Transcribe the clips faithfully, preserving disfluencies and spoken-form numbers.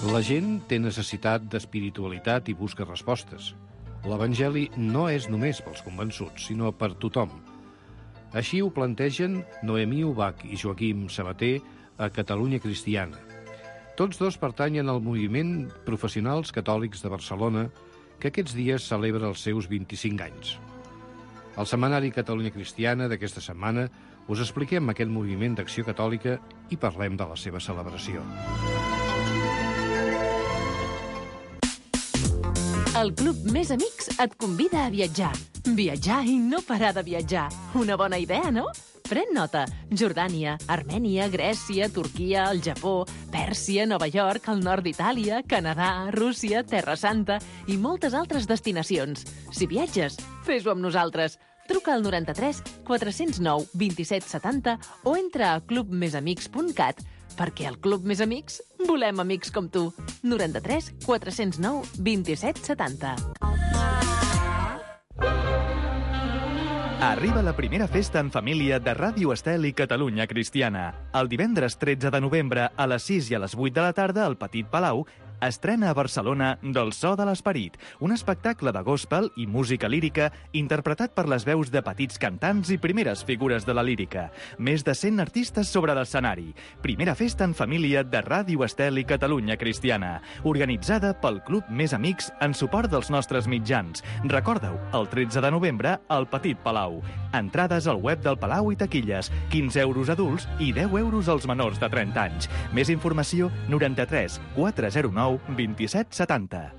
La gent té necessitat d'espiritualitat i busca respostes. L'Evangeli no és només pels convençuts, sinó per tothom. Així ho plantegen Noemí Ubach i Joaquim Sabater a Catalunya Cristiana. Tots dos pertanyen al moviment Professionals Catòlics de Barcelona, que aquests dies celebra els seus vint-i-cinc anys. Al setmanari Catalunya Cristiana d'aquesta setmana us expliquem aquest moviment d'acció catòlica i parlem de la seva celebració. El Club Més Amics et convida a viatjar. Viatjar i no parar de viatjar. Una bona idea, no? Pren nota. Jordània, Armènia, Grècia, Turquia, el Japó, Pèrsia, Nova York, el nord d'Itàlia, Canadà, Rússia, Terra Santa i moltes altres destinacions. Si viatges, fes-ho amb nosaltres. Truca al noranta-tres quatre-cents nou vint-i-set setanta o entra a club més amics punt cat perquè al Club Més Amics volem amics com tu. noranta-tres quatre-cents nou vint-i-set setanta. Arriba la primera festa en família de Ràdio Estel i Catalunya Cristiana. El divendres tretze de novembre a les sis i a les vuit de la tarda al Petit Palau estrena a Barcelona Del so de l'esperit, un espectacle de gospel i música lírica interpretat per les veus de petits cantants i primeres figures de la lírica. Més de cent artistes sobre l'escenari. Primera festa en família de Ràdio Estel i Catalunya Cristiana, organitzada pel Club Més Amics en suport dels nostres mitjans. Recordeu, el tretze de novembre al Petit Palau. Entrades al web del Palau i taquilles, quinze euros adults i deu euros als menors de trenta anys. Més informació, noranta-tres quatre zero nou vint-i-set setanta.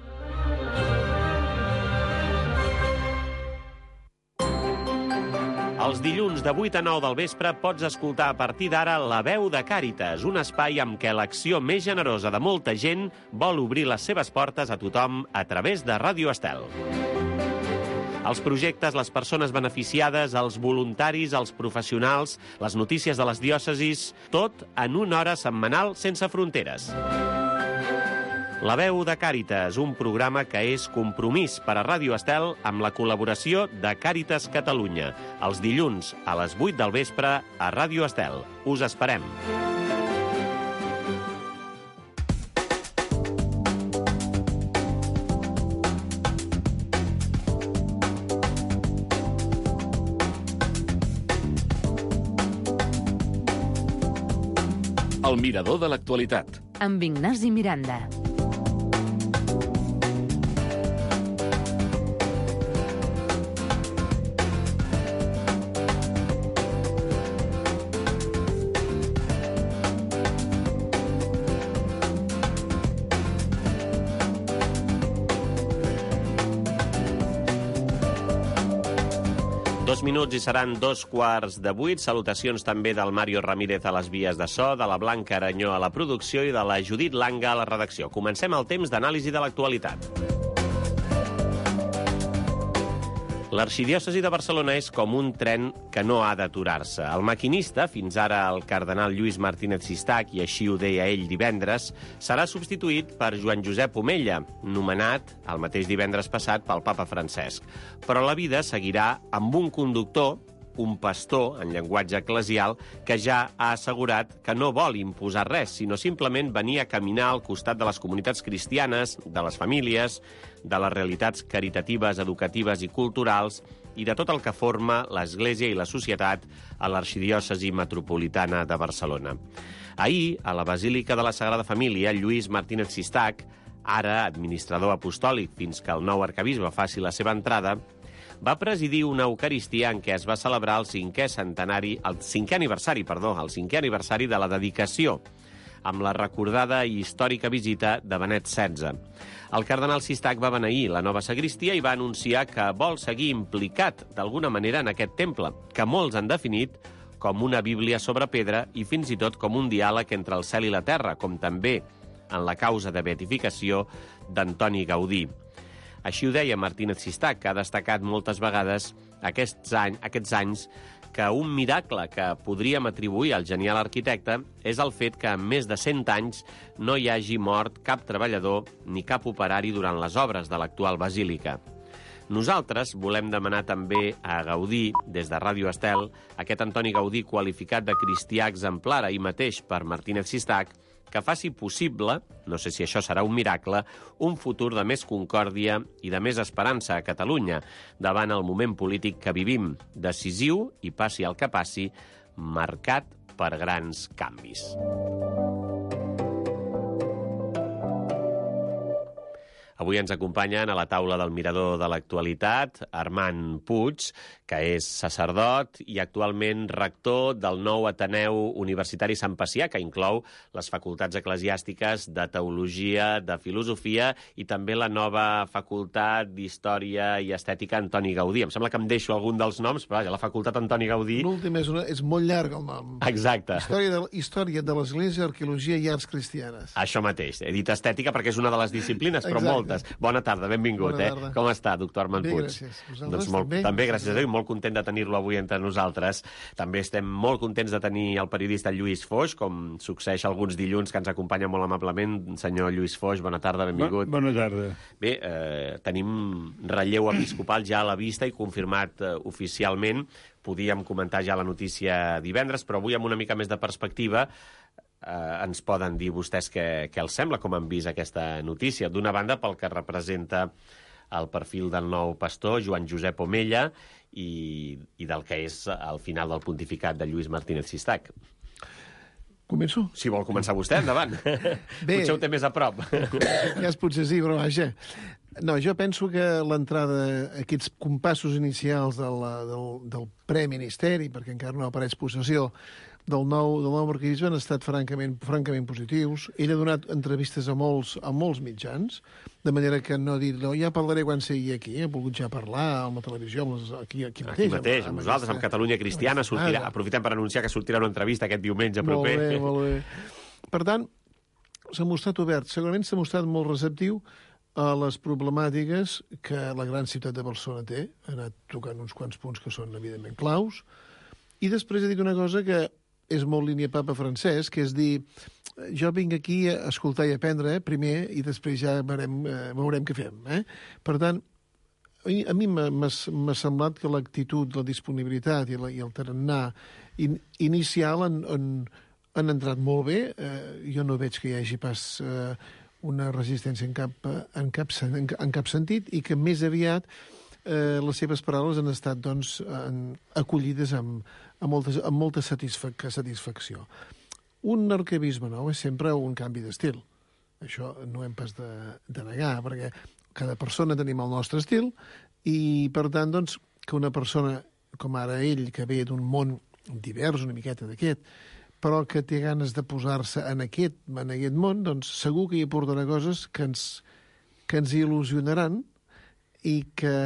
Els dilluns de vuit a nou del vespre pots escoltar a partir d'ara La veu de Càritas, un espai amb què l'acció més generosa de molta gent vol obrir les seves portes a tothom a través de Ràdio Estel. Els projectes, les persones beneficiades, els voluntaris, els professionals, les notícies de les diòcesis, tot en una hora setmanal sense fronteres. La veu de Càritas, un programa que és compromís per a Ràdio Estel amb la col·laboració de Càritas Catalunya. Els dilluns a les vuit del vespre a Ràdio Estel. Us esperem. El mirador de l'actualitat. Amb Ignasi Miranda. Dos minuts i seran dos quarts de vuit. Salutacions també del Mario Ramírez a les vies de so, de la Blanca Aranyó a la producció i de la Judit Langa a la redacció. Comencem el temps d'anàlisi de l'actualitat. L'arxidiòcesi de Barcelona és com un tren que no ha d'aturar-se. El maquinista, fins ara el cardenal Lluís Martínez Sistac, i així ho deia ell divendres, serà substituït per Joan Josep Omella, nomenat el mateix divendres passat pel papa Francesc. Però la vida seguirà amb un conductor, un pastor, en llenguatge eclesial, que ja ha assegurat que no vol imposar res, sinó simplement venir a caminar al costat de les comunitats cristianes, de les famílies, de les realitats caritatives, educatives i culturals i de tot el que forma l'Església i la societat a l'arxidiòcesi metropolitana de Barcelona. Ahir, a la Basílica de la Sagrada Família, Lluís Martínez Sistac, ara administrador apostòlic fins que el nou arcabisbe faci la seva entrada, va presidir una Eucaristia en què es va celebrar el cinquè centenari, el cinquè aniversari, perdó, el cinquè aniversari de la dedicació, amb la recordada i històrica visita de Benet setze. El cardenal Sistac va beneir la nova sagristia i va anunciar que vol seguir implicat d'alguna manera en aquest temple, que molts han definit com una Bíblia sobre pedra i fins i tot com un diàleg entre el cel i la terra, com també en la causa de beatificació d'Antoni Gaudí. Així ho deia Martínez Sistac, que ha destacat moltes vegades aquests, any, aquests anys que un miracle que podríem atribuir al genial arquitecte és el fet que en més de cent anys no hi hagi mort cap treballador ni cap operari durant les obres de l'actual basílica. Nosaltres volem demanar també a Gaudí, des de Ràdio Estel, aquest Antoni Gaudí qualificat de cristià exemplar ahir mateix per Martínez Sistac, que faci possible, no sé si això serà un miracle, un futur de més concòrdia i de més esperança a Catalunya, davant el moment polític que vivim, decisiu, i passi el que passi, marcat per grans canvis. Avui ens acompanyen a la taula del Mirador de l'Actualitat Armand Puig, que és sacerdot i actualment rector del nou Ateneu Universitari Sant Pacià, que inclou les facultats eclesiàstiques de Teologia, de Filosofia i també la nova facultat d'Història i Estètica Antoni Gaudí. Em sembla que em deixo algun dels noms, però vaja, la facultat Antoni Gaudí... L'últim és, una, és molt llarg el nom. Exacte. Història de, història de l'Església, Arqueologia i Arts Cristianes. Això mateix. He dit estètica perquè és una de les disciplines, però Exacte. moltes. Bona tarda, benvingut. Bona tarda. Eh? Com està, doctor Armand Bé, Puig? gràcies. Vosaltres Doncs molt, també? també, gràcies a Déu, molt content de tenir-lo avui entre nosaltres. També estem molt contents de tenir el periodista Lluís Foix, com succeeix alguns dilluns, que ens acompanya molt amablement. Senyor Lluís Foix, bona tarda, benvingut. Bona tarda. Bé, eh, tenim relleu episcopal ja a la vista i confirmat eh, oficialment. Podíem comentar ja la notícia divendres, però avui amb una mica més de perspectiva eh, ens poden dir vostès què, què els sembla, com han vist aquesta notícia. D'una banda, pel que representa el perfil del nou pastor, Joan Josep Omella, i, i del que és el final del pontificat de Lluís Martínez Sistac. Començo? Si vol començar vostè, endavant. Bé. Potser ho té més a prop. Ja es potser sí, però vaja. No, jo penso que l'entrada, aquests compassos inicials del, del, del preministeri, perquè encara no apareix possessió, del nou, del nou arquebisbe han estat francament, francament positius. Ell ha donat entrevistes a molts, a molts mitjans, de manera que no ha dit, no, ja parlaré quan sigui aquí, ha volgut ja parlar a la televisió, amb les, aquí, aquí mateix. Aquí mateix, amb, amb nosaltres, amb Catalunya Cristiana, sortirà, aprofitem per anunciar que sortirà una entrevista aquest diumenge proper. Molt bé, molt bé. Per tant, s'ha mostrat obert, segurament s'ha mostrat molt receptiu a les problemàtiques que la gran ciutat de Barcelona té, ha anat tocant uns quants punts que són evidentment claus, i després ha dit una cosa que és molt línia papa francès, que és dir, jo vinc aquí a escoltar i aprendre eh, primer i després ja veurem, eh, veurem què fem. Eh? Per tant, a mi m'ha semblat que l'actitud, la disponibilitat i, la, i el tarannà in, inicial han, han, han entrat molt bé. Eh, jo no veig que hi hagi pas eh, una resistència en cap, en, cap, en, en cap sentit i que més aviat eh, les seves paraules han estat doncs, en, acollides amb, amb, molta, amb molta satisfac satisfacció. Un arquebisbe nou és sempre un canvi d'estil. Això no hem pas de, de negar, perquè cada persona tenim el nostre estil i, per tant, doncs, que una persona com ara ell, que ve d'un món divers, una miqueta d'aquest, però que té ganes de posar-se en aquest, en aquest món, doncs segur que hi aportarà coses que ens, que ens il·lusionaran i que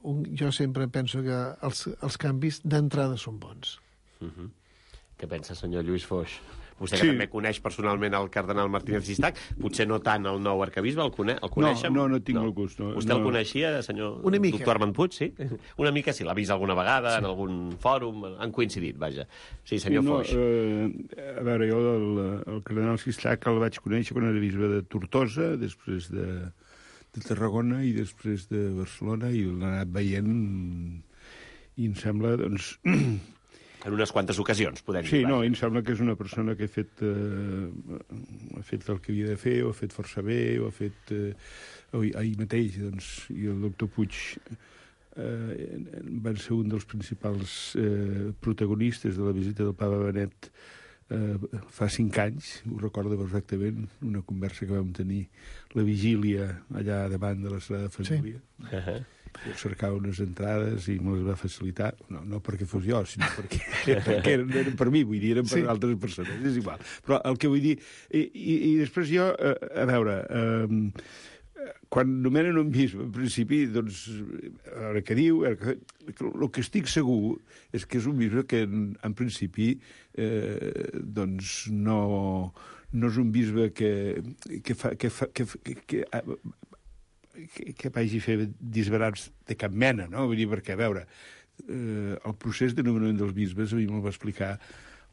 un, jo sempre penso que els, els canvis d'entrada són bons. Uh-huh. Què pensa, senyor Lluís Foix? Vostè que Sí. també coneix personalment el cardenal Martínez Sistac, potser no tant el nou arquebisbe, el, cone el coneixen? No, no, no tinc el gust. No, Vostè no. el coneixia, senyor Una mica. doctor Armand Puig, sí? Una mica sí, l'ha vist alguna vegada sí. en algun fòrum, han coincidit, vaja. Sí, senyor sí, no, Foix. Eh, a veure, jo el, el cardenal Sistac el vaig conèixer quan era bisbe de Tortosa, després de, de Tarragona i després de Barcelona, i l'he anat veient i em sembla, doncs... En unes quantes ocasions, podem dir. Sí, no, em sembla que és una persona que ha fet, eh, ha fet el que havia de fer, ho ha fet força bé, ho ha fet eh, ahir mateix, doncs, i el doctor Puig eh, van ser un dels principals eh, protagonistes de la visita del papa Benet eh, fa cinc anys, ho recordo perfectament, una conversa que vam tenir la vigília allà davant de la Sagrada Família. Sí. Uh-huh. Jo cercava unes entrades i me les va facilitar, no, no perquè fos jo, sinó perquè, perquè eren, eren per mi, vull dir, eren per sí. altres persones, és igual. Però el que vull dir... I, i, i després jo, a, a veure, eh, quan nomenen un bisbe, en principi, doncs, a veure què diu, el que estic segur és que és un bisbe que, en, en principi, eh, doncs, no, no és un bisbe que, que fa... Que fa que, que, que, que, que vagi a fer disbarats de cap mena, no? Vull dir, perquè, a veure, eh, el procés de nomenament dels bisbes a mi me'l va explicar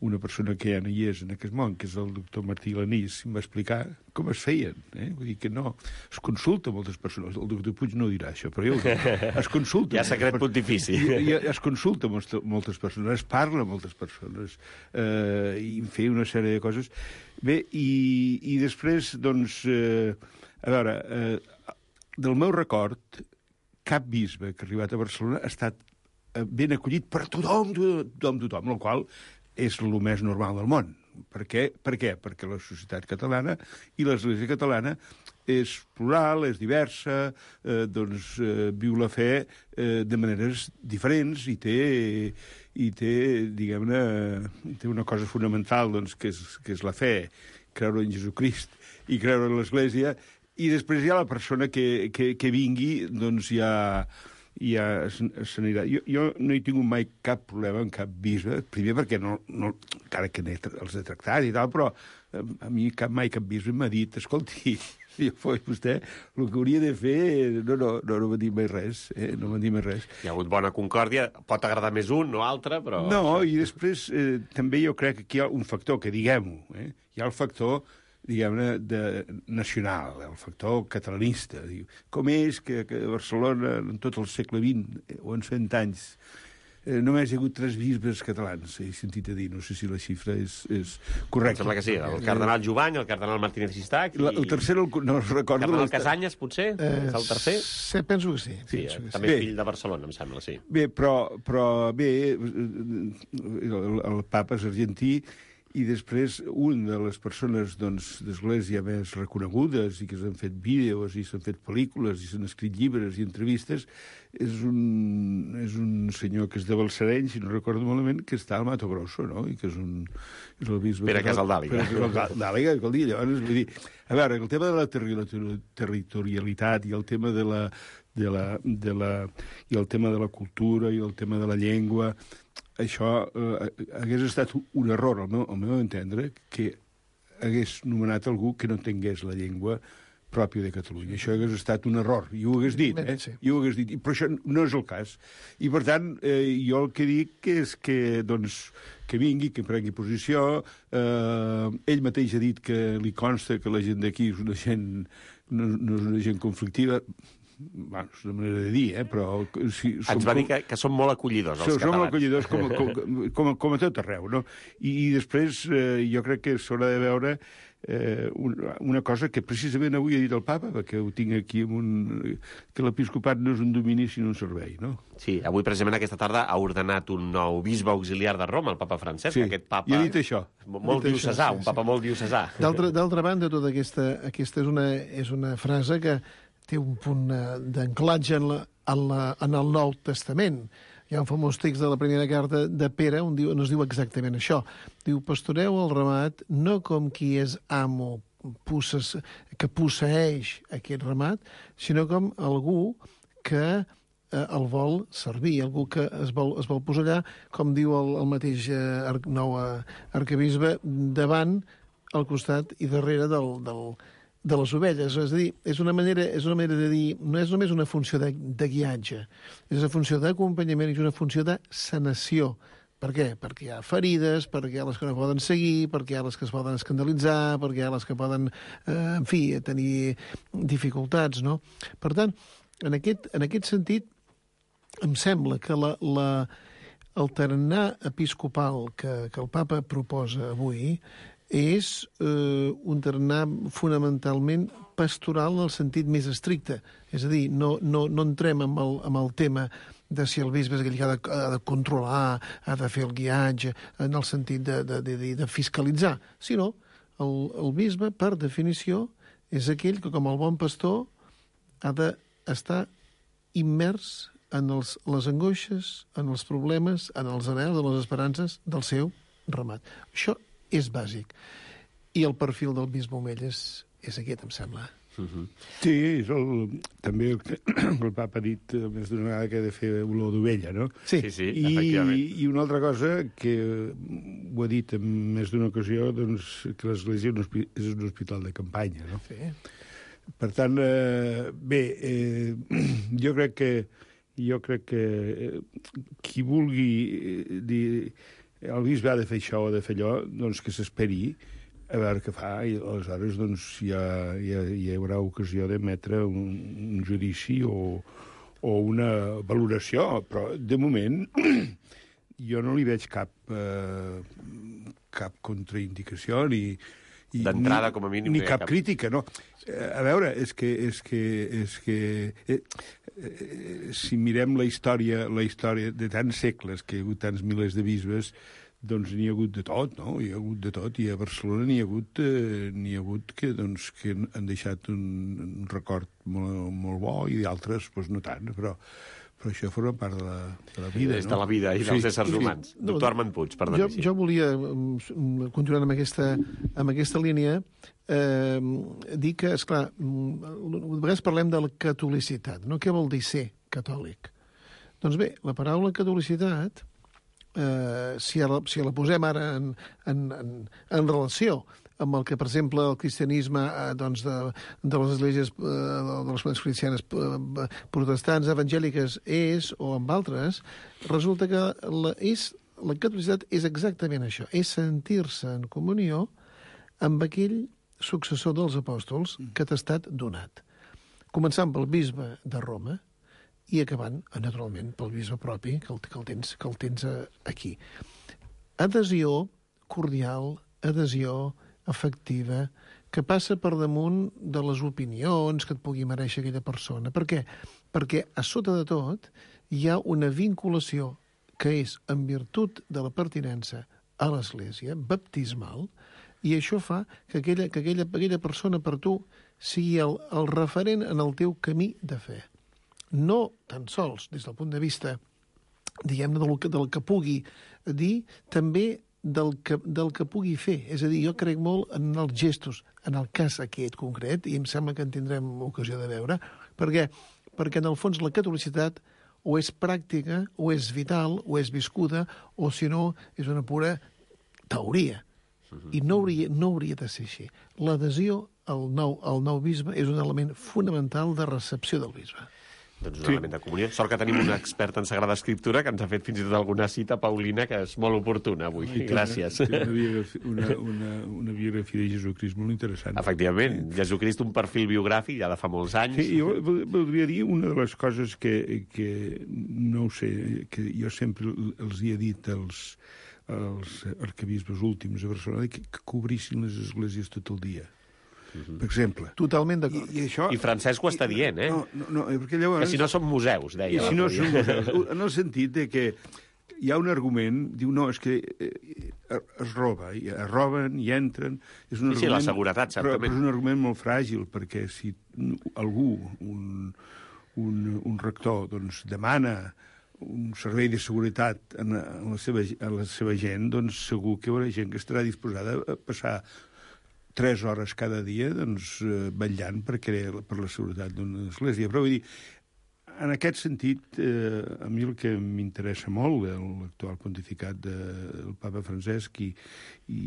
una persona que ja no hi és en aquest món, que és el doctor Martí Lanís, em va explicar com es feien. Eh? Vull dir que no... Es consulta moltes persones. El doctor Puig no dirà això, però jo ho dic. Es consulta... Hi ha secret pontifici. I, i es consulta moltes persones, es parla amb moltes persones, eh, i en fer una sèrie de coses. Bé, i, i després, doncs... Eh, a veure, eh, del meu record, cap bisbe que ha arribat a Barcelona ha estat ben acollit per tothom, tothom, tothom, el qual és el més normal del món. Per què? Per què? Perquè la societat catalana i l'Església catalana és plural, és diversa, eh, doncs eh, viu la fe eh, de maneres diferents i té, i té diguem-ne, té una cosa fonamental, doncs, que és, que és la fe, creure en Jesucrist i creure en l'Església, i després hi ha la persona que, que, que vingui, doncs ja... ja s'anirà. Jo, jo no he tingut mai cap problema amb cap bisbe, primer perquè no, no encara que els he tractat i tal, però a mi cap, mai cap bisbe m'ha dit, escolti, si jo fos vostè, el que hauria de fer... No, no, no, no m'ha dit mai res, eh? No m'ha dit mai res. Hi ha hagut bona concòrdia, pot agradar més un o altre, però... No, i després eh, també jo crec que aquí hi ha un factor, que diguem-ho, eh? Hi ha el factor diguem-ne, de nacional, el factor catalanista. Diu, com és que, que a Barcelona, en tot el segle vint, o en cent anys, eh, només hi ha hagut tres bisbes catalans, he sentit a dir, no sé si la xifra és, és correcta. Em sembla que sí, el cardenal Jovany, el cardenal Martínez Sistac... I... La, el tercer, el, no el recordo... El cardenal Casanyes, potser? Eh, és el tercer? Sí, penso que sí. Sí, penso que també sí. és fill de Barcelona, em sembla, sí. Bé, però, però bé, el, el papa és argentí, i després un de les persones doncs, d'Església més reconegudes i que s'han fet vídeos i s'han fet pel·lícules i s'han escrit llibres i entrevistes és un, és un senyor que és de Balsareny, si no recordo malament, que està al Mato Grosso, no? I que és un... És el bisbe Pere Casaldàliga. Pere Casaldàliga, que el dia, llavors, vull dir... A veure, el tema de la terri territorialitat i el tema de la, de la, de la... i el tema de la cultura i el tema de la llengua... Això eh, hagués estat un error, al meu, al meu entendre, que hagués nomenat algú que no tingués la llengua pròpia de Catalunya. Això hagués estat un error, i ho hagués dit, eh? I ho hagués dit, però això no és el cas. I, per tant, eh, jo el que dic és que, doncs, que vingui, que prengui posició. Eh, ell mateix ha dit que li consta que la gent d'aquí és una gent, no, no és una gent conflictiva. Bueno, és una manera de dir, eh? Però... Si, Ens va dir que, que són molt acollidors, els som, catalans. Som molt acollidors, com, com, com, com a tot arreu, no? I, i després eh, jo crec que s'haurà de veure eh, una, una cosa que precisament avui ha dit el papa, perquè ho tinc aquí amb un... que l'episcopat no és un domini, sinó un servei, no? Sí, avui precisament aquesta tarda ha ordenat un nou bisbe auxiliar de Roma, el papa Francesc, sí, aquest papa... i ha dit això. Molt diocesà, sí, un papa sí. molt diocesà. D'altra banda, tota aquesta, aquesta és, una, és una frase que té un punt d'anclatge en, la, en, la, en el Nou Testament. Hi ha un famós text de la primera carta de Pere on, diu, on es diu exactament això. Diu, pastoreu el ramat no com qui és amo pusses, que posseeix aquest ramat, sinó com algú que eh, el vol servir, algú que es vol, es vol posar allà, com diu el, el mateix eh, nou arquebisbe, davant, al costat i darrere del... del de les ovelles, és a dir, és una manera, és una manera de dir, no és només una funció de, de guiatge, és una funció d'acompanyament i és una funció de sanació. Per què? Perquè hi ha ferides, perquè hi ha les que no poden seguir, perquè hi ha les que es poden escandalitzar, perquè hi ha les que poden, eh, en fi, tenir dificultats, no? Per tant, en aquest, en aquest sentit, em sembla que la, la, el tarannà episcopal que, que el papa proposa avui és eh, un tarannà fonamentalment pastoral en el sentit més estricte. És a dir, no, no, no entrem amb el, amb el tema de si el bisbe és aquell que ha de, ha de controlar, ha de fer el guiatge, en el sentit de, de, de, de fiscalitzar, sinó el, el bisbe, per definició, és aquell que, com el bon pastor, ha d'estar immers en els, les angoixes, en els problemes, en els anhels, en les esperances del seu ramat. Això és bàsic. I el perfil del bisbe Omell és, és aquest, em sembla. Uh-huh. Sí, és el, també el, el papa ha dit més d'una vegada que ha de fer olor d'ovella, no? Sí, sí, sí, I, efectivament. I una altra cosa que ho ha dit en més d'una ocasió, doncs, que l'Església és un hospital de campanya, no? Sí. Per tant, eh, bé, eh, jo crec que jo crec que eh, qui vulgui eh, dir el bisbe ha de fer això o de fer allò, doncs que s'esperi a veure què fa, i aleshores doncs, hi, ha, hi, ha, hi haurà ocasió d'emetre un, un judici o, o una valoració, però de moment jo no li veig cap, eh, cap contraindicació ni, d'entrada, com a mínim, ni no cap, cap crítica, no. A veure, és que, és que, és que eh, eh, si mirem la història, la història de tants segles, que hi ha hagut tants milers de bisbes, doncs n'hi ha hagut de tot, no? Hi ha hagut de tot, i a Barcelona n'hi ha hagut, eh, n'hi ha hagut que, doncs, que han deixat un, un record molt, molt bo, i d'altres, doncs, no tant, però, però això forma part de la, de la vida, és no? de la vida i dels sí, éssers sí. humans. No, Doctor Armand Puig, perdoni. Jo, jo volia, continuant amb aquesta, amb aquesta línia, eh, dir que, esclar, a vegades parlem de la catolicitat, no? Què vol dir ser catòlic? Doncs bé, la paraula catolicitat, eh, si, la, si la posem ara en, en, en, en relació amb el que, per exemple, el cristianisme eh, doncs de, de les esglésies, eh, de les esglésies cristianes eh, protestants, evangèliques, és, o amb altres, resulta que la, és, la catolicitat és exactament això, és sentir-se en comunió amb aquell successor dels apòstols que t'ha estat donat. Començant pel bisbe de Roma, i acabant, naturalment, pel bisbe propi, que el, que el tens, que el tens aquí. Adhesió cordial, adhesió afectiva, que passa per damunt de les opinions que et pugui mereixer aquella persona. Per què? Perquè a sota de tot hi ha una vinculació que és en virtut de la pertinença a l'Església, baptismal, i això fa que aquella, que aquella, aquella persona per tu sigui el, el referent en el teu camí de fe. No tan sols des del punt de vista, diguem-ne, del, del que pugui dir, també del que, del que pugui fer. És a dir, jo crec molt en els gestos, en el cas aquest concret, i em sembla que en tindrem ocasió de veure, perquè, perquè en el fons la catolicitat o és pràctica, o és vital, o és viscuda, o si no, és una pura teoria. I no hauria, no hauria de ser així. L'adhesió al nou, al nou bisbe és un element fonamental de recepció del bisbe. Doncs un sí. element de comunió. Sort que tenim un expert en Sagrada Escriptura que ens ha fet fins i tot alguna cita, Paulina, que és molt oportuna avui. I gràcies. Té una, biografia, una, una, una biografia de Jesucrist molt interessant. Efectivament. Jesucrist, un perfil biogràfic ja de fa molts anys. Sí, jo voldria dir una de les coses que, que no ho sé, que jo sempre els hi he dit als, als arquebisbes últims a Barcelona, que, que cobrissin les esglésies tot el dia. Per exemple. Totalment d'acord. I, i, això, I Francesc ho està dient, eh? No, no, no, perquè llavors... Que si no són museus, deia. I si no són museus, en el sentit de que hi ha un argument, diu, no, és que es roba, i es roben, i entren... És un sí, argument, sí, la seguretat, certament. Però és un argument molt fràgil, perquè si algú, un, un, un rector, doncs, demana un servei de seguretat en, en, la seva, en la seva gent, doncs segur que hi haurà gent que estarà disposada a passar tres hores cada dia, doncs, eh, vetllant per, crear, per la seguretat d'una església. Però vull dir, en aquest sentit, eh, a mi el que m'interessa molt l'actual pontificat de, del papa Francesc, i, i,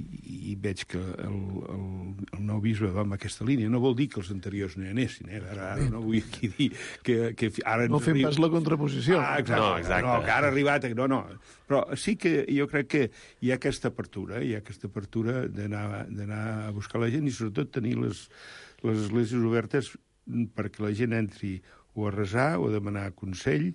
i veig que el, el, el nou bisbe va en aquesta línia. No vol dir que els anteriors no hi anessin, eh? Ara, ara no vull aquí dir que... que ara no fem pas la contraposició. Ah, exacte. No, exacte. No, que ara ha arribat... No, no. Però sí que jo crec que hi ha aquesta apertura, hi ha aquesta apertura d'anar a buscar la gent i sobretot tenir les, les esglésies obertes perquè la gent entri o a resar, o a demanar consell,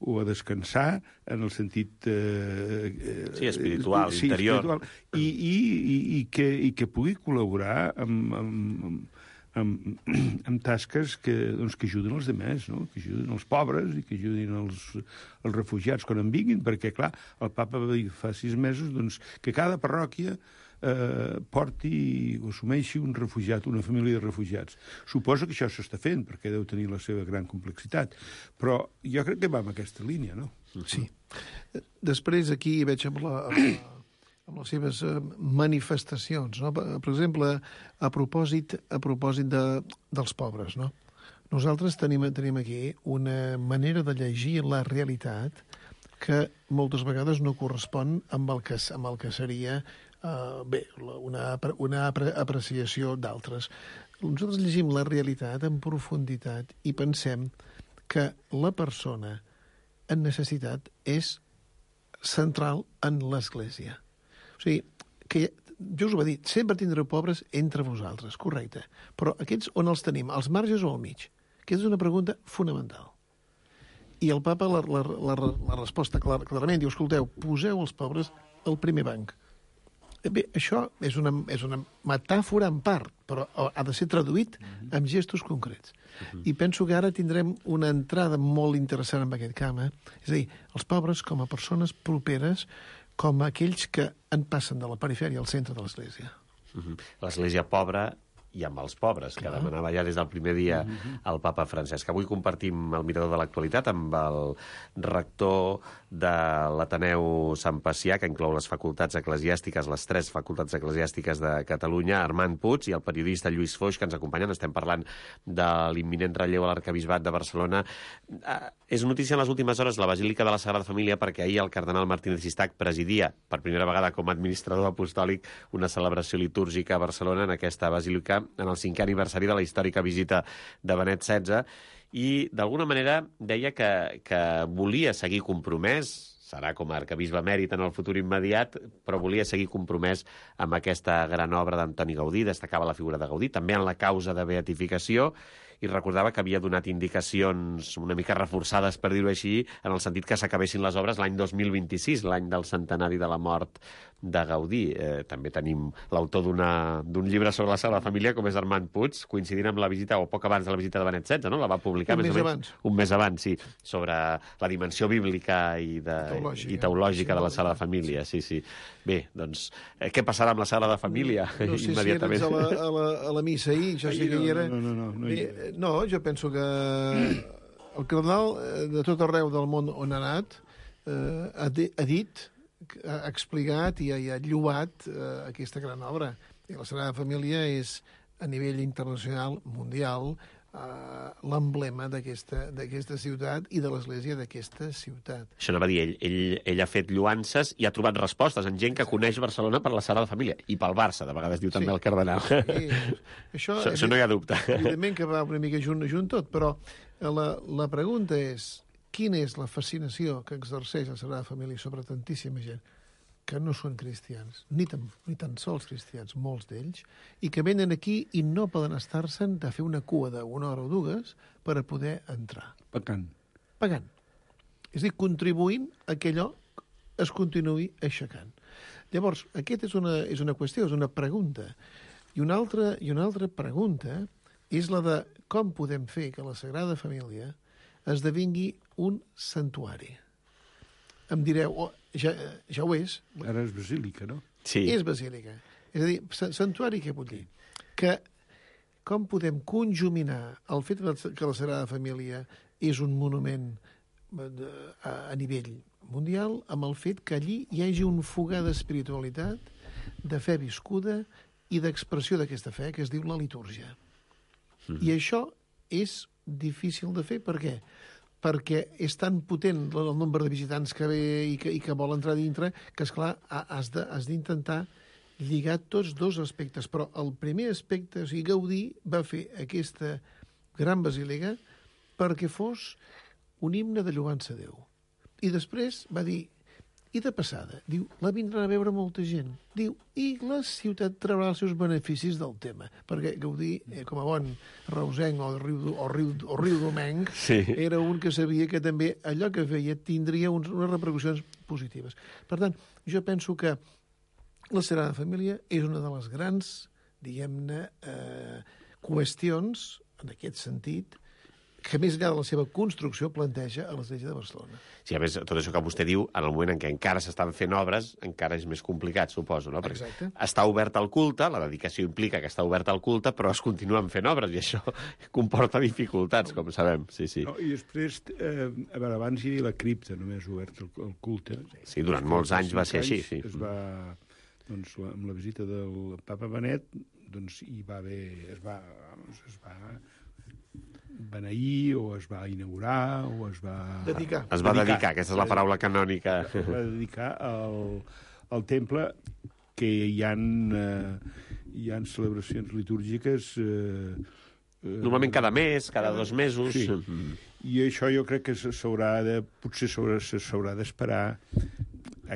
o a descansar, en el sentit... Eh, sí, espiritual, sí, interior. Espiritual, i, i, i, i, que, i que pugui col·laborar amb, amb, amb, amb tasques que, doncs, que ajuden els demés, no? Que ajuden els pobres i que ajudin els, els refugiats quan en vinguin, perquè, clar, el papa va dir fa sis mesos doncs, que cada parròquia eh, porti o assumeixi un refugiat, una família de refugiats. Suposo que això s'està fent, perquè deu tenir la seva gran complexitat, però jo crec que va en aquesta línia, no? Sí. Després aquí veig amb la... Amb la... amb les seves manifestacions, no? Per exemple, a propòsit, a propòsit de, dels pobres, no? Nosaltres tenim, tenim aquí una manera de llegir la realitat que moltes vegades no correspon amb el que, amb el que seria uh, bé, una, una apreciació d'altres. Nosaltres llegim la realitat en profunditat i pensem que la persona en necessitat és central en l'Església. O sigui, que jo us ho he dit, sempre tindreu pobres entre vosaltres, correcte. Però aquests on els tenim, als marges o al mig? Aquesta és una pregunta fonamental. I el papa la, la, la, la resposta clar, clarament diu, escolteu, poseu els pobres al primer banc. Bé, això és una, és una metàfora en part, però ha de ser traduït amb gestos concrets. I penso que ara tindrem una entrada molt interessant en aquest camp. Eh? És a dir, els pobres com a persones properes, com aquells que en passen de la perifèria al centre de l'Església. L'Església pobra i amb els pobres, que demanava ja des del primer dia el papa Francesc. Avui compartim el mirador de l'actualitat amb el rector de l'Ateneu Sant Pacià, que inclou les facultats eclesiàstiques, les tres facultats eclesiàstiques de Catalunya, Armand Puig, i el periodista Lluís Foix, que ens acompanyen. Estem parlant de l'imminent relleu a l'Arquebisbat de Barcelona. És notícia en les últimes hores la Basílica de la Sagrada Família, perquè ahir el cardenal Martínez Sistac presidia, per primera vegada com a administrador apostòlic, una celebració litúrgica a Barcelona, en aquesta basílica, en el cinquè aniversari de la històrica visita de Benet setze, i d'alguna manera deia que, que volia seguir compromès, serà com a arquebisbe emèrit en el futur immediat, però volia seguir compromès amb aquesta gran obra d'Antoni Gaudí, destacava la figura de Gaudí, també en la causa de beatificació, i recordava que havia donat indicacions una mica reforçades, per dir-ho així, en el sentit que s'acabessin les obres l'any dos mil vint-i-sis, l'any del centenari de la mort de Gaudí. Eh, també tenim l'autor d'un llibre sobre la Sagrada Família, com és Armand Puig, coincidint amb la visita, o poc abans de la visita de Benet setze, no? La va publicar un més mes o menys abans. Un mes abans, sí, sobre la dimensió bíblica i, de, teològica. i teològica Sí, de la Sagrada Família. Sí, sí. Bé, doncs, eh, què passarà amb la Sagrada Família? No sé immediatament? si eres a la, a la, a la missa ahir, jo sé que hi era... No, no, no. no, Bé, no, jo penso que el cardenal de tot arreu del món on ha anat eh, ha, de, ha dit, ha explicat i ha, i ha lloat eh, aquesta gran obra. I la Sagrada Família és, a nivell internacional, mundial, eh, l'emblema d'aquesta ciutat i de l'Església d'aquesta ciutat. Això anava a dir, ell, ell, ell ha fet lluances i ha trobat respostes en gent que coneix Barcelona per la Sagrada Família i pel Barça, de vegades diu també Sí. el cardenal. Sí, això, això, això no hi ha dubte. Evidentment que va una mica junt, junt tot, però la, la pregunta és quina és la fascinació que exerceix la Sagrada Família sobre tantíssima gent que no són cristians, ni tan, ni tan sols cristians, molts d'ells, i que venen aquí i no poden estar-se'n de fer una cua d'una hora o dues per a poder entrar. Pecant. Pagant. És a dir, contribuint a que allò es continuï aixecant. Llavors, aquesta és una, és una qüestió, és una pregunta. I una, altra, I una altra pregunta és la de com podem fer que la Sagrada Família esdevingui un santuari. Em direu, oh, ja, ja ho és. Ara és basílica, no? Sí. És basílica. És a dir, santuari què vol dir? Que com podem conjuminar el fet que la Sagrada Família és un monument a, a nivell mundial amb el fet que allí hi hagi un fogar d'espiritualitat, de fe viscuda i d'expressió d'aquesta fe, que es diu la litúrgia. Mm. I això és difícil de fer, per què? Perquè és tan potent el nombre de visitants que ve i que, i que vol entrar dintre que, esclar, has d'intentar lligar tots dos aspectes. Però el primer aspecte, o sigui, Gaudí va fer aquesta gran basílica perquè fos un himne de lloança a Déu. I després va dir, i de passada, diu, la vindran a veure molta gent. Diu, i la ciutat traurà els seus beneficis del tema. Perquè Gaudí, eh, com a bon reusenc o riu, o riu, o riu domenc, Sí. era un que sabia que també allò que feia tindria uns, unes repercussions positives. Per tant, jo penso que la Sagrada Família és una de les grans, diguem-ne, eh, qüestions, en aquest sentit, que més enllà de la seva construcció planteja a l'Església de Barcelona. Sí, a més, tot això que vostè diu, en el moment en què encara s'estan fent obres, encara és més complicat, suposo, no? Perquè Exacte. està obert al culte, la dedicació implica que està obert al culte, però es continuen fent obres, i això comporta dificultats, com sabem. Sí, sí. No, I després, eh, a veure, abans hi havia la cripta, només obert el, el culte. Sí, durant molts anys va ser així, sí. Es va, doncs, la, amb la visita del papa Benet, doncs hi va haver, es va, es va beneir, o es va inaugurar, o es va... Dedicar. Es va dedicar, aquesta és la paraula canònica. Es va dedicar al, al temple, que hi ha, eh, hi ha celebracions litúrgiques... Eh, eh, Normalment cada mes, cada dos mesos. Sí. I això jo crec que s'haurà de... Potser s'haurà d'esperar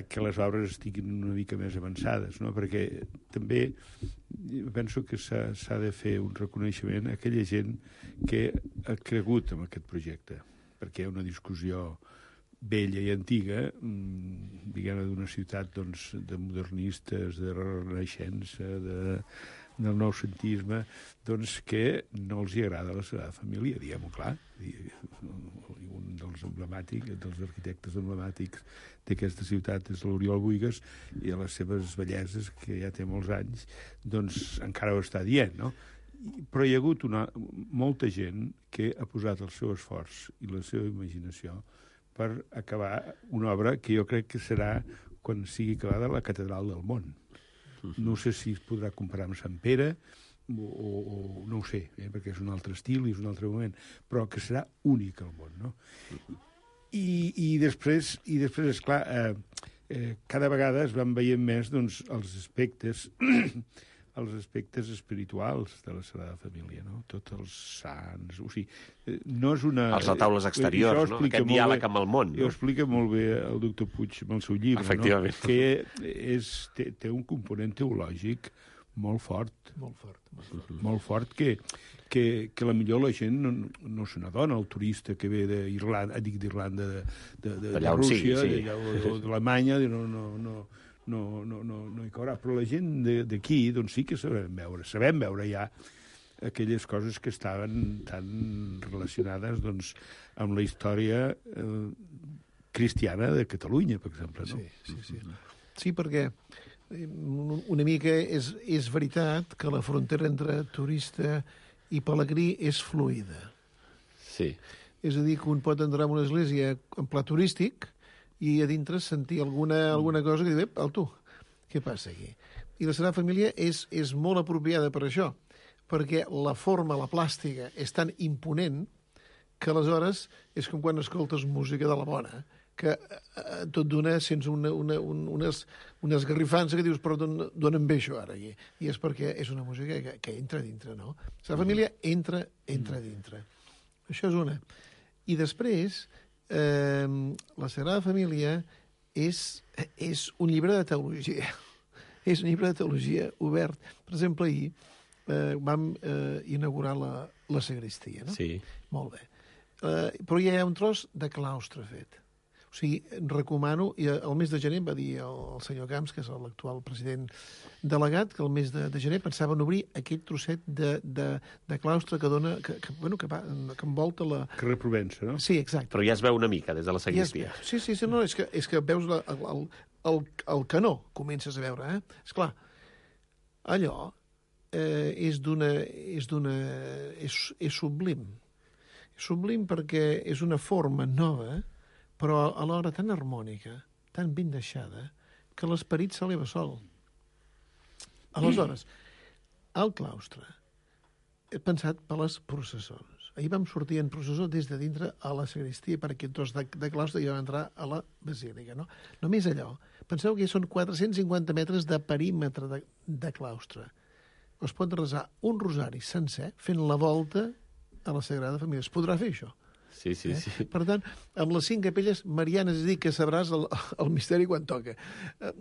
que les obres estiguin una mica més avançades, no? Perquè també penso que s'ha de fer un reconeixement a aquella gent que ha cregut en aquest projecte, perquè hi ha una discussió vella i antiga, diguem-ne, d'una ciutat doncs, de modernistes, de renaixença, de, del noucentisme, doncs que no els hi agrada la Sagrada Família, diguem-ho clar. Un dels emblemàtics, dels arquitectes emblemàtics d'aquesta ciutat és l'Oriol Buigas, i a les seves belleses, que ja té molts anys, doncs encara ho està dient, no? Però hi ha hagut una, molta gent que ha posat el seu esforç i la seva imaginació per acabar una obra que jo crec que serà, quan sigui acabada, la catedral del món. No sé si es podrà comparar amb Sant Pere, o, o, o no ho sé, eh, perquè és un altre estil i és un altre moment, però que serà únic al món, no? I, i després, i després esclar, eh, eh, cada vegada es van veient més doncs, els aspectes els aspectes espirituals de la Sagrada Família, no? Tots els sants... O sigui, no és una... Els retaules exteriors, no? Aquest diàleg amb el món. No? Ho explica molt bé el doctor Puig amb el seu llibre, efectivament, no? Que és, té, té un component teològic molt fort. Molt fort. Molt fort, molt fort que, que, que la millor la gent no, no se n'adona, el turista que ve d'Irlanda, dic d'Irlanda, de, de, de, de Rússia, sigui, sí. o d'Alemanya, no... no, no No, no, no, no hi caurà, però la gent d'aquí doncs sí que sabem veure, sabem veure ja aquelles coses que estaven tan relacionades doncs, amb la història eh, cristiana de Catalunya, per exemple. No? Sí, sí, sí. Sí, perquè una mica és, és veritat que la frontera entre turista i pelegrí és fluida. Sí. És a dir, que un pot entrar en una església en pla turístic i a dintre sentir alguna, alguna cosa que diu, ep, tu, què passa aquí? I la Sagrada Família és, és molt apropiada per això, perquè la forma, la plàstica, és tan imponent que aleshores és com quan escoltes música de la bona, que eh, tot d'una sents una, una, un, unes, unes garrifances que dius, però d'on em ve això ara? I, I és perquè és una música que, que entra dintre, no? La Sagrada Família entra, entra dintre. Això és una. I després... Eh, la Sagrada Família és, és un llibre de teologia. És un llibre de teologia obert. Per exemple, ahir eh, vam eh, inaugurar la, la sagristia, no? Sí. Molt bé. Eh, però ja hi ha un tros de claustre fet. O sigui, recomano, i el mes de gener va dir el, el senyor Camps, que és l'actual president delegat, que el mes de, de gener pensaven obrir aquell trosset de, de, de claustre que dona, que, que, bueno, que, va, que envolta la... Carrer Provença, no? Sí, exacte. Però ja es veu una mica des de la sagristia. Ja es, sí, sí, sí, no, és que, és que veus la, el, el, el canó, comences a veure, eh? Esclar, allò eh, és d'una... és d'una... és, és sublim. És sublim perquè és una forma nova, però alhora tan harmònica, tan ben deixada, que l'esperit s'eleva sol. Aleshores, el claustre he pensat per les processons. Ahir vam sortir en processó des de dintre a la sagristia per aquest tros de, de claustre i vam entrar a la basílica. No? Només allò. Penseu que són quatre-cents cinquanta metres de perímetre de, de claustre. Es pot resar un rosari sencer fent la volta a la Sagrada Família. Es podrà fer això? Sí, sí, eh? sí. Per tant, amb les cinc capelles marianes, és a dir, que sabràs el, el misteri quan toca. Eh,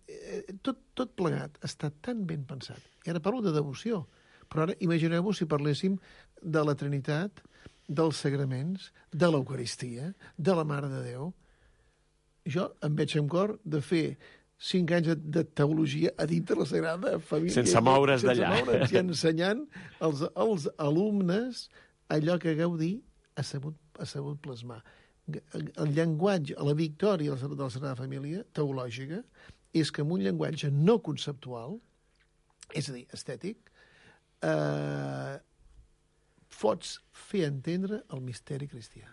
eh, tot, tot plegat està tan ben pensat. I ara parlo de devoció, però ara imagineu-vos si parléssim de la Trinitat, dels sagraments, de l'Eucaristia, de la Mare de Déu. Jo em veig amb cor de fer cinc anys de teologia a dintre la Sagrada Família. Sense moure's d'allà. Sense moure's i ensenyant als, als alumnes allò que Gaudí ha sabut, ha sabut plasmar. El llenguatge, la victòria de la Sagrada Família, teològica, és que amb un llenguatge no conceptual, és a dir, estètic, eh, pots fer entendre el misteri cristià.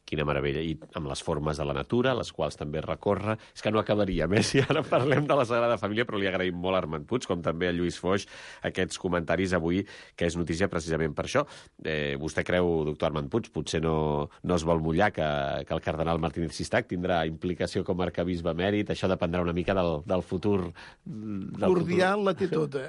Quina meravella. I amb les formes de la natura, les quals també recorre. És que no acabaríem, eh? Si ara parlem de la Sagrada Família, però li agraïm molt a Armand Puig, com també a Lluís Foix, aquests comentaris avui, que és notícia precisament per això. Eh, vostè creu, doctor Armand Puig, potser no, no es vol mullar que, que el cardenal Martínez Sistac tindrà implicació com a arcabisbe emèrit? Això dependrà una mica del, del futur... Del Cordial futur. La té tota.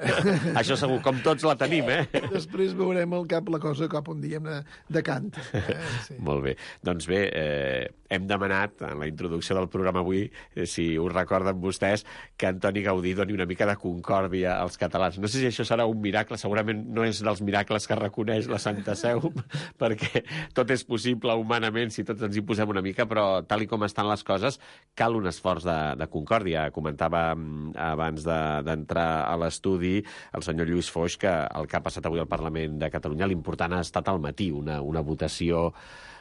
Això segur, com tots la tenim, eh? Després veurem al cap la cosa cap un diem de, de cant. Eh? Sí. Molt bé. Doncs Doncs bé, eh, hem demanat, en la introducció del programa avui, eh, si us recorden vostès, que Antoni Gaudí doni una mica de concòrdia als catalans. No sé si això serà un miracle, segurament no és dels miracles que reconeix la Santa Seu, perquè tot és possible humanament si tots ens hi posem una mica, però tal i com estan les coses, cal un esforç de, de concòrdia. Comentava abans d'entrar de, a l'estudi el senyor Lluís Foix que el que ha passat avui al Parlament de Catalunya, l'important ha estat al matí, una, una votació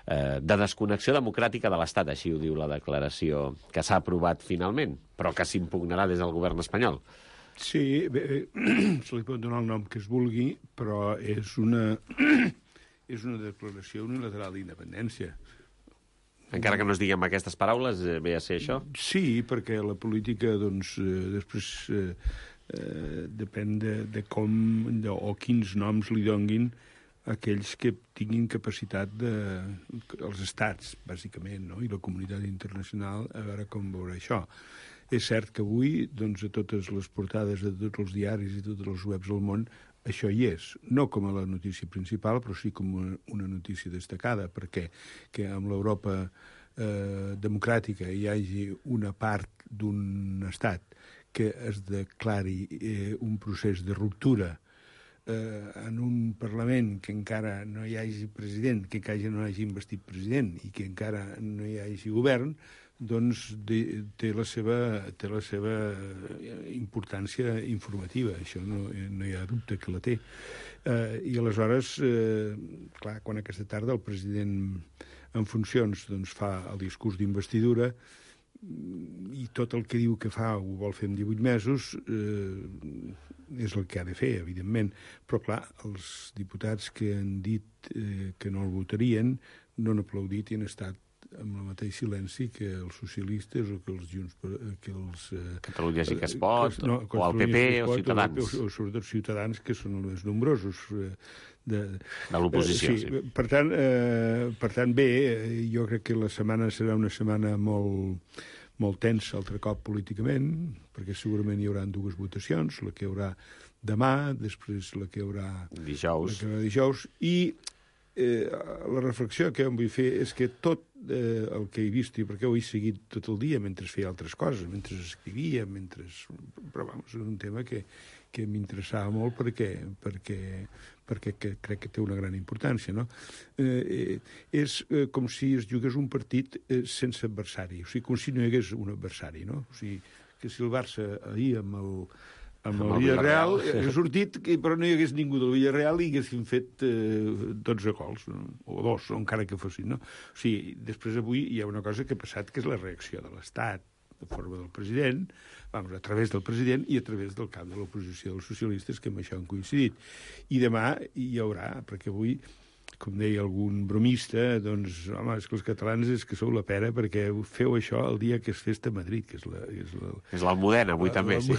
eh, de desconnexió democràtica de l'Estat, així ho diu la declaració, que s'ha aprovat finalment, però que s'impugnarà des del govern espanyol. Sí, bé, se li pot donar el nom que es vulgui, però és una, és una declaració unilateral d'independència. Encara que no es digui amb aquestes paraules, eh, ve a ser això? Sí, perquè la política, doncs, eh, després eh, eh, depèn de, de com de, o quins noms li donguin aquells que tinguin capacitat de... els estats, bàsicament, no? I la comunitat internacional, a veure com veurà això. És cert que avui, doncs, a totes les portades de tots els diaris i tots els webs del món, això hi és, no com a la notícia principal, però sí com una, una notícia destacada, perquè que amb l'Europa eh, democràtica hi hagi una part d'un estat que es declari eh, un procés de ruptura eh, en un Parlament que encara no hi hagi president, que encara no hagi investit president i que encara no hi hagi govern, doncs de, té, la seva, té la seva importància informativa. Això no, no hi ha dubte que la té. Eh, I aleshores, eh, clar, quan aquesta tarda el president en funcions doncs, fa el discurs d'investidura i tot el que diu que fa ho vol fer en divuit mesos, eh, és el que ha de fer, evidentment. Però, clar, els diputats que han dit eh, que no el votarien no han aplaudit i han estat amb el mateix silenci que els socialistes o que els Junts... Que els, eh, Catalunya sí que es pot, que, no, o el P P o Ciutadans. O, o, o sobretot Ciutadans, que són els més nombrosos. Eh, de de l'oposició, eh, sí. sí. Per tant, eh, per tant, bé, jo crec que la setmana serà una setmana molt, molt tensa altre cop políticament, perquè segurament hi haurà dues votacions, la que hi haurà demà, després la que hi haurà dijous, la que hi haurà dijous i eh, la reflexió que em vull fer és que tot eh, el que he vist, i perquè ho he seguit tot el dia mentre feia altres coses, mentre escrivia, mentre... Però, vamos, és un tema que, que m'interessava molt perquè, perquè, perquè que crec que té una gran importància, no? Eh, és eh, com si es jugués un partit eh, sense adversari, o sigui, com si no hi hagués un adversari, no? O sigui, que si el Barça ahir amb el... amb el, el Villarreal, ha sortit, però no hi hagués ningú del Villarreal i haguessin fet eh, dotze gols, no? O dos, o encara que fossin, no? O sigui, després avui hi ha una cosa que ha passat, que és la reacció de l'Estat, de forma del president, vamos, a través del president i a través del cap de l'oposició dels socialistes, que amb això han coincidit. I demà hi haurà, perquè avui, com deia algun bromista, doncs, home, és que els catalans és que sou la pera perquè feu això el dia que és festa a Madrid, que és la... És, la, és l'Almudena, avui la, també, sí.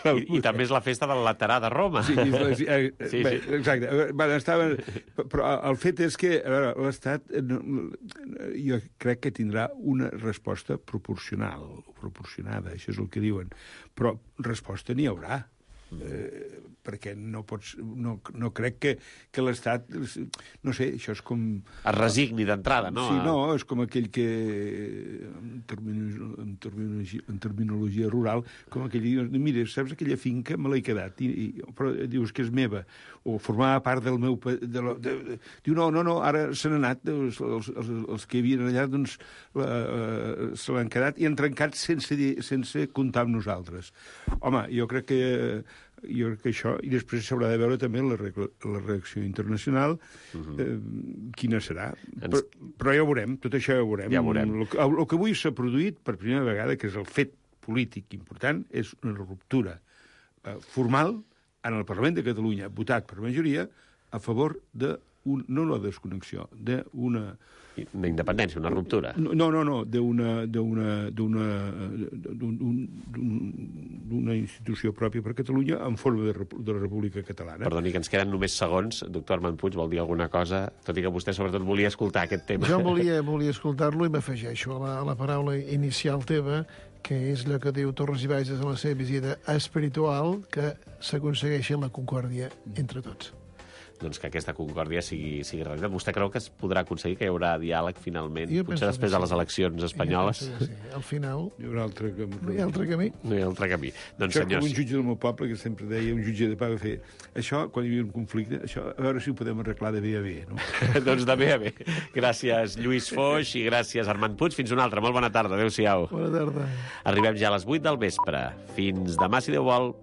I, I també és la festa del Laterà de Roma. Sí, sí, eh, sí, bé, sí. Exacte. Bueno, estava, però el fet és que, a veure, l'Estat, jo crec que tindrà una resposta proporcional, proporcionada, això és el que diuen, però resposta n'hi haurà. Eh, perquè no pots no, no crec que, que l'Estat no sé, això és com es resigni d'entrada, no? Sí, no, és com aquell que en terminologia, en terminologia, en terminologia rural, com aquell que diu, mira, saps aquella finca me l'he quedat i, i, però dius que és meva o formava part del meu de la, de, de, diu, no, no, no, ara se n'han anat els, els, els, els que hi havien allà doncs la, uh, se l'han quedat i han trencat sense, sense comptar amb nosaltres. Home, jo crec que jo crec que això, i després s'haurà de veure també la, la reacció internacional, uh-huh. eh, quina serà. Ens... Però, però ja ho veurem, tot això ja ho veurem. Ja veurem. El, el, el que avui s'ha produït per primera vegada, que és el fet polític important, és una ruptura eh, formal en el Parlament de Catalunya, votat per majoria, a favor de, un, no la desconnexió, d'una... Una independència, una ruptura. No, no, no, d'una d'una d'una d'una institució pròpia per Catalunya en forma de, de la República Catalana. Perdoni, que ens queden només segons. Doctor Armand Puig, vol dir alguna cosa? Tot i que vostè sobretot volia escoltar aquest tema. Jo volia, volia escoltar-lo i m'afegeixo a, la, a la paraula inicial teva, que és allò que diu Torres i Bages en la seva visita espiritual, que s'aconsegueixi la concòrdia entre tots. doncs, que aquesta concòrdia sigui, sigui realitat. Vostè creu que es podrà aconseguir, que hi haurà diàleg finalment, Jo potser penso després que de les sí. eleccions espanyoles? Jo penso que sí. Al final Hi haurà altre camí. no hi ha altre camí. No hi ha altre camí. Doncs, Això com senyors... un jutge del meu poble, que sempre deia, un jutge de pau, va fer això, quan hi havia un conflicte, això, a veure si ho podem arreglar de bé a bé, no? doncs de bé a bé. Gràcies, Lluís Foix, i gràcies, Armand Puig. Fins una altra. Molt bona tarda. Adéu-siau. Bona tarda. Arribem ja a les vuit del vespre. Fins demà, si Déu vol.